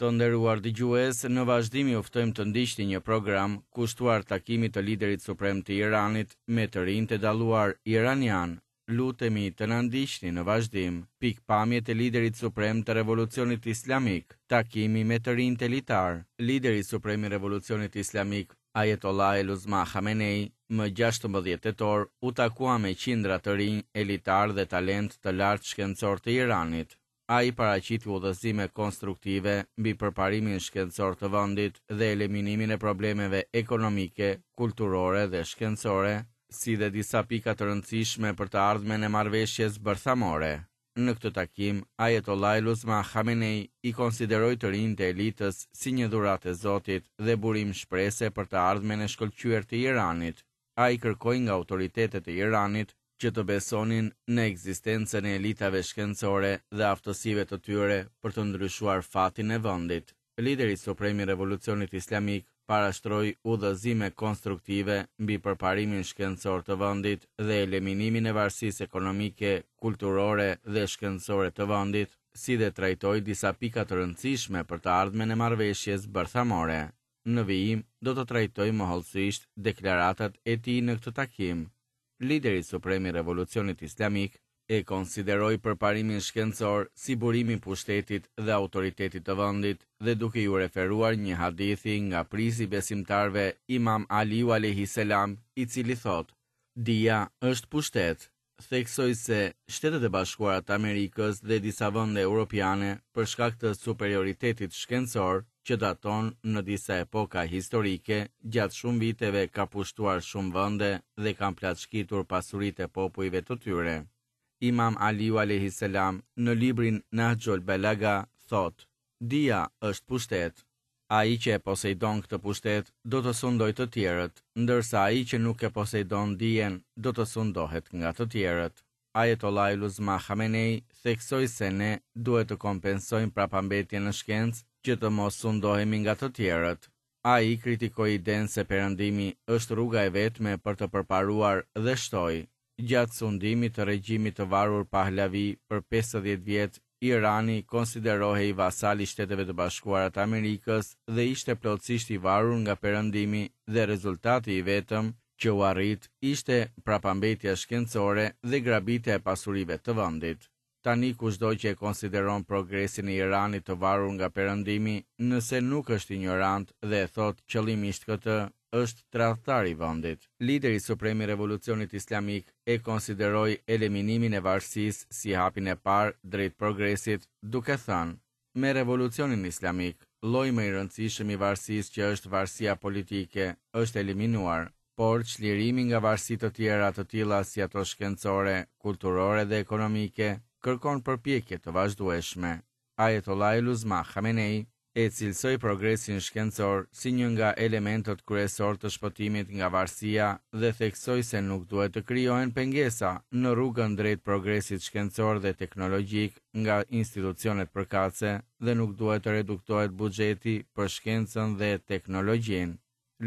Të nderuar dëgjues, në vazhdim ju ftojmë të ndiqni një program kushtuar takimit të liderit suprem të Iranit me të rinjtë e dalluar iranianë. Lutemi të na ndiqni në vazhdim pikëpamjet e liderit suprem të Revolucionit Islamik, takimi me të rinjtë elitarë. Lideri suprem i Revolucionit Islamik, Ayatollah el-Uzma Khamenei, më 16 tetor u takua me qindra të rinj elitarë dhe talentë të lartë shkencor të Iranit. Ai paraqiti udhëzime konstruktive mbi përparimin shkencor të vendit dhe eliminimin e problemeve ekonomike, kulturore dhe shkencore, si dhe disa pika të rëndësishme për të ardhmen e marrëveshjes bërthamore. Në këtë takim, Ayatollah el-Uzma Khamenei i konsideroi të rinjtë e elitës si një dhuratë e Zotit dhe burim shprese për të ardhmen e shkëlqyer të Iranit. Ai kërkoi nga autoritetet e Iranit që të besonin në ekzistencën e elitave shkencore dhe aftësive të tyre për të ndryshuar fatin e vendit. Lideri suprem i Revolucionit Islamik parashtroi udhëzime konstruktive mbi përparimin shkencor të vendit dhe eliminimin e varësisë ekonomike, kulturore dhe shkencore të vendit, si dhe trajtoi disa pika të rëndësishme për të ardhmen e marrëveshjes bërthamore. Në vijim do të trajtojmë më hollësisht deklaratat e tij në këtë takim. Lideri suprem i Revolucionit Islamik e konsideroi përparimin shkencor si burim i pushtetit dhe autoritetit të vendit dhe duke iu referuar një hadithi nga prijësi i besimtarëve Imam Aliu alejhi selam, i cili thotë, Dija është pushtet, theksoi se Shtetet e Bashkuara të Amerikës dhe disa vende europiane për shkak të superioritetit shkencor që daton në disa epoka historike, gjatë shumë viteve ka pushtuar shumë vende dhe kanë plaçkitur pasuritë e popujve të tyre. Imam Aliu alejhi selam në librin Nahxhul Balaga thotë, Dija është pushtet. Ai që e poseidon këtë pushtet do të sundojë të tjerët, ndërsa ai që nuk e poseidon dijen do të sundohet nga të tjerët. Ayatollah el-Uzma Khamenei theksoi se ne duhet të kompensojmë prapambetjen në shkencë që të mos sundohemi nga të tjerët. Ai kritikoi idenë se Perëndimi është rruga e vetme për të përparuar dhe shtoi, Gjatë sundimit të regjimit të varur Pahlavi për 50 vjet, Irani konsiderohej vasal i Shteteve të Bashkuara të Amerikës dhe ishte plotësisht i varur nga Perëndimi dhe rezultati i vetëm që u arrit ishte prapambetja shkencore dhe grabitja e pasurive të vendit. Tani kushdo që e konsideron progresin e Iranit të varur nga Perëndimi, nëse nuk është injorant dhe e thotë qëllimisht këtë, është tradhtar i vendit. Lideri suprem i Revolucionit Islamik e konsideroi eliminimin e varësisë si hapin e parë drejt progresit, duke thënë, Me Revolucionin Islamik, lloji më i rëndësishëm i varësisë që është varësia politike, është eliminuar, por çlirimi nga varësi të tjera të tilla si ato shkencore, kulturore dhe ekonomike, kërkon përpjekje të vazhdueshme. Ayatollah el-Uzma Khamenei e cilësoi progresin shkencor si një nga elementët kryesorë të shpëtimit nga varësia dhe theksoi se nuk duhet të krijohen pengesa në rrugën drejt progresit shkencor dhe teknologjik nga institucionet përkatëse dhe nuk duhet të reduktohet buxheti për shkencën dhe teknologjinë.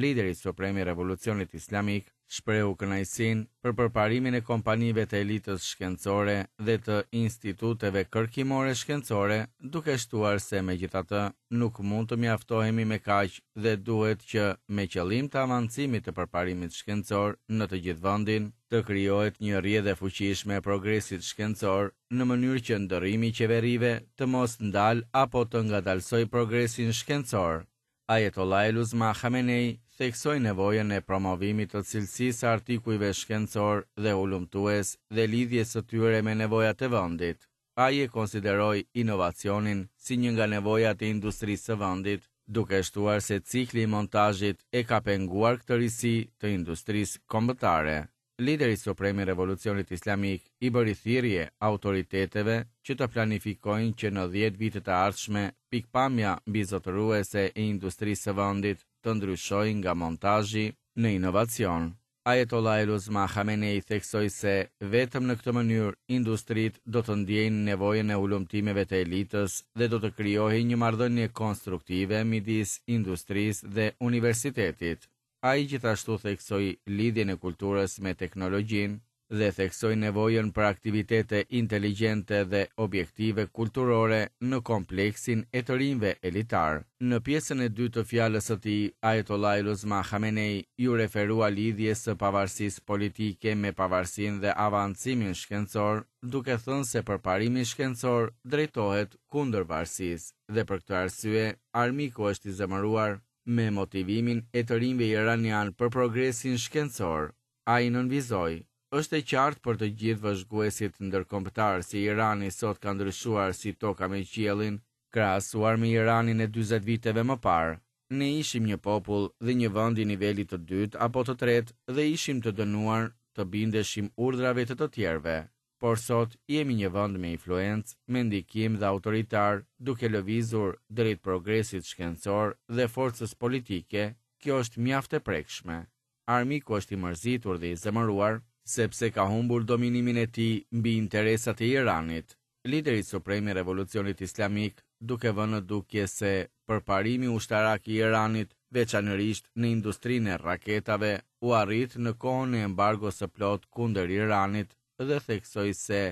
Lideri suprem i Revolucionit Islamik shprehu kënaqësinë për përparimin e kompanive të elitës shkencore dhe të instituteve kërkimore shkencore, duke shtuar se megjithatë nuk mund të mjaftohemi me kaq dhe duhet që, me qëllim të avancimit të përparimit shkencor në të gjithë vendin, të krijohet një rrjedhë e fuqishme e progresit shkencor në mënyrë që ndërrimi i qeverive të mos ndalë apo të ngadalësojë progresin shkencor. Ayatollah el-Uzma Khamenei theksoi nevojën e promovimit të cilësisë së artikujve shkencorë dhe hulumtues dhe lidhjes së tyre me nevojat e vendit. Ai e konsideroi inovacionin si një nga nevojat e industrisë së vendit, duke shtuar se cikli i montazhit e ka penguar këtë risi të industrisë kombëtare. Lideri suprem i Revolucionit Islamik i bëri thirrje autoriteteve që të planifikojnë që në 10 vitet e ardhshme pikëpamja mbizotëruese e industrisë së vendit të ndryshojë nga montazhi në inovacion. Ayatollah el-Uzma Khamenei theksoi se vetëm në këtë mënyrë industritë do të ndjejnë nevojën e hulumtimeve të elitës dhe do të krijohej një marrëdhënie konstruktive midis industrisë dhe universitetit. Ai gjithashtu theksoi lidhjen e kulturës me teknologjinë. dhe theksoi nevojën për aktivitete inteligjente dhe objektive kulturore në kompleksin e të rinjve elitarë. Në pjesën e dytë të fjalës së tij, Ajatollahul Uzma Khamenei iu referua lidhjes së pavarësisë politike me pavarësinë dhe avancimin shkencor, duke thënë se përparimi shkencor drejtohet kundër varësisë dhe për këtë arsye armiku është i zemëruar me motivimin e të rinjve iranianë për progresin shkencor. Ai nënvizoi, Është e qartë për të gjithë vëzhguesit ndërkombëtarë se Irani sot ka ndryshuar si toka me qiellin, krahasuar me Iranin e 40 viteve më parë. Ne ishim një popull dhe një vend i nivelit të dytë apo të tretë dhe ishim të dënuar të bindeshim urdhrave të të tjerëve. Por sot jemi një vend me influencë, me ndikim dhe autoritar, duke lëvizur drejt progresit shkencor dhe forcës politike, kjo është mjaft e prekshme. Armiku është i mërzitur dhe i zemëruar, sepse ka humbur dominimin e tij mbi interesat e Iranit. Lideri suprem i Revolucionit Islamik, duke vënë në dukje se përparimi ushtarak i Iranit, veçanërisht në industrinë e raketave, u arrit në kohën e embargos së plotë kundër Iranit dhe theksoi se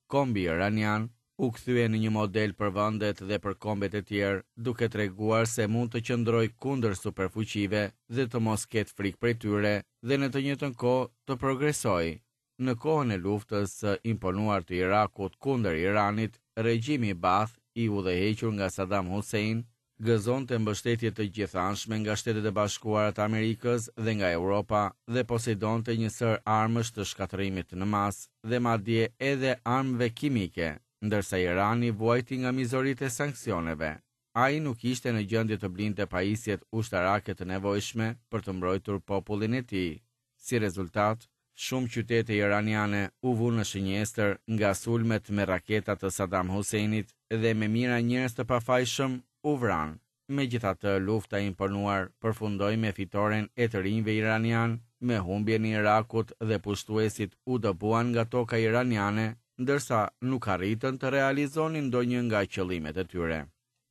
Kombi iranian u kthye në një model për vendet dhe për kombet e tjerë, duke treguar se mund të qëndrojë kundër superfuqive dhe të mos ketë frikë prej tyre dhe në të njëjtën kohë të progresojë. Në kohën e luftës së imponuar të Irakut kundër Iranit, regjimi Baath i udhëhequr nga Saddam Hussein gëzonte mbështetje të gjithanshme nga Shtetet e Bashkuara të Amerikës dhe nga Europa dhe posedonte një sërë armësh të shkatërrimit në masë dhe madje edhe armëve kimike, ndërsa Irani vuajti nga mizoritë e sanksioneve. Ai nuk ishte në gjendje të blinte pajisjet ushtarake të nevojshme për të mbrojtur popullin e tij. Si rezultat, shumë qytete iraniane u vunë në shënjestër nga sulmet me raketa të Saddam Husseinit dhe me mijëra njerëz të pafajshëm u vranë. Megjithatë, lufta e imponuar përfundoi me fitoren e të rinjve iranianë, me humbjen e Irakut dhe pushtuesit u dëbuan nga toka iraniane, ndërsa nuk arritën të realizonin ndonjë nga qëllimet e tyre.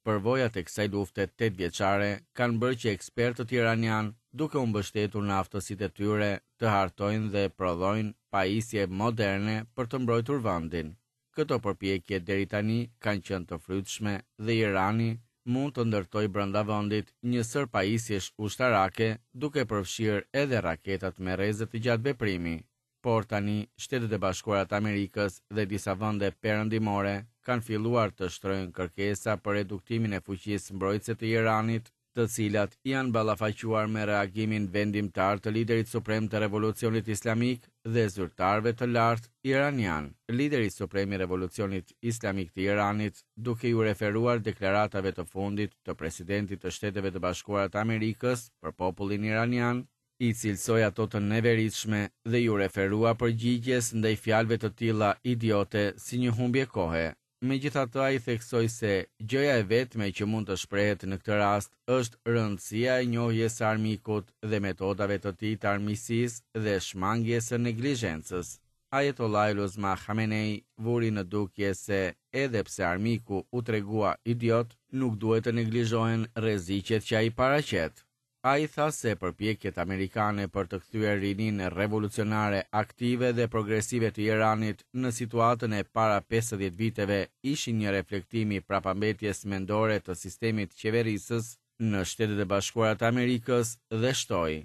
Përvojat e kësaj lufte tetëvjeçare kanë bërë që ekspertët iranianë, duke u mbështetur në aftësitë e tyre, të hartojnë dhe prodhojnë pajisje moderne për të mbrojtur vendin. Këto përpjekje deri tani kanë qenë të frytshme dhe Irani mund të ndërtojë brenda vendit një sërë pajisjesh ushtarake, duke përfshirë edhe raketat me rreze të gjatë veprimi. Por tani, Shtetet e Bashkuara të Amerikës dhe disa vende perëndimore kanë filluar të shtrojnë kërkesa për reduktimin e fuqisë mbrojtëse të Iranit, të cilat janë ballafaquar me reagimin vendimtar të liderit suprem të Revolucionit Islamik dhe zyrtarëve të lartë iranianë. Lideri suprem i Revolucionit Islamik të Iranit, duke iu referuar deklaratave të fundit të presidentit të Shteteve të Bashkuara të Amerikës për popullin iranian, i cilësoi ato të neveritshme dhe iu referua përgjigjes ndaj fjalëve të tilla idiote si një humbje kohe. Megjithatë ai theksoi se gjëja e vetme që mund të shprehet në këtë rast është rëndësia e njohjes së armikut dhe metodave të tij të armiqësisë dhe shmangies së neglizhencës. Ajatollahul Uzma Khamenei vuri në dukje se edhe pse armiku u tregua idiot, nuk duhet të neglizhohen rreziqet që ai paraqet. Ai tha se përpjekjet amerikane për të kthyer rininë revolucionare aktive dhe progresive të Iranit në situatën e para 50 viteve ishin një reflektim i prapambetjes mendore të sistemit qeverisës në Shtetet e Bashkuara të Amerikës dhe shtoi,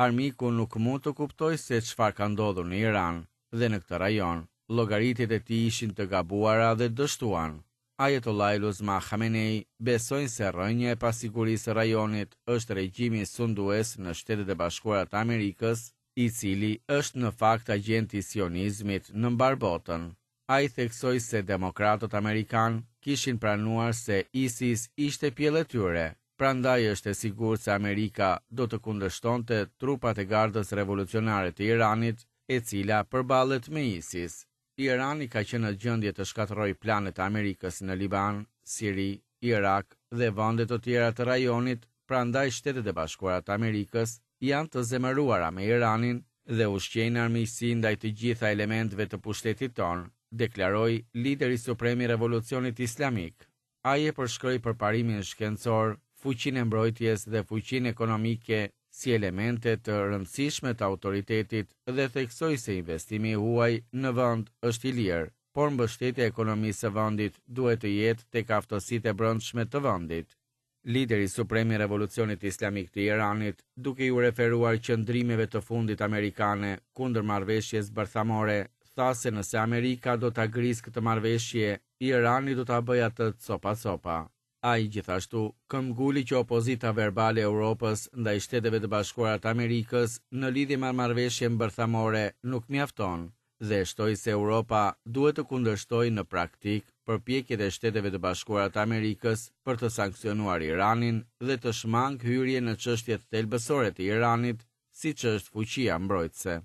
Armiku nuk mund të kuptojë se çfarë ka ndodhur në Iran dhe në këtë rajon. Llogaritjet e tij ishin të gabuara dhe dështuan. Ajatollahul Uzma Khamenei besojnë se rrënja e pasigurisë së rajonit është regjimi sundues në Shtetet e Bashkuara të Amerikës, i cili është në fakt agjent i sionizmit në mbarë botën. Ai theksoi se demokratët amerikanë kishin pranuar se ISIS ishte pjellë e tyre, prandaj është e sigurt se Amerika do të kundërshtonte trupat e Gardës Revolucionare të Iranit, e cila përballet me ISIS. Irani ka qenë në gjendje të shkatërrojë planet e Amerikës në Liban, Siri, Irak dhe vende të tjera të rajonit, prandaj Shtetet e Bashkuara të Amerikës janë të zemëruara me Iranin dhe ushqejnë armiqësi ndaj të gjitha elementëve të pushtetit tonë, deklaroi lideri suprem i Revolucionit Islamik. Ai e përshkroi përparimin shkencor, fuqinë e mbrojtjes dhe fuqinë ekonomike. si elemente të rëndësishme të autoritetit dhe theksoi se investimi i huaj në vend është i lirë, por mbështetja e ekonomisë së vendit duhet të jetë tek aftësitë e brendshme të vendit. Lideri suprem i Revolucionit Islamik të Iranit, duke iu referuar qëndrimeve të fundit amerikane kundër marrëveshjes bërthamore, tha se nëse Amerika do ta grisë këtë marrëveshje, Irani do ta bëjë atë copa-copa. Ai gjithashtu këmbguli që opozita verbale e Europës ndaj Shteteve të Bashkuara të Amerikës në lidhje me marrëveshjen bërthamore nuk mjafton dhe shtoi se Europa duhet të kundërshtojë në praktikë përpjekjet e Shteteve të Bashkuara të Amerikës për të sanksionuar Iranin dhe të shmangë hyrjen në çështjet thelbësore të Iranit, siç është fuqia mbrojtëse.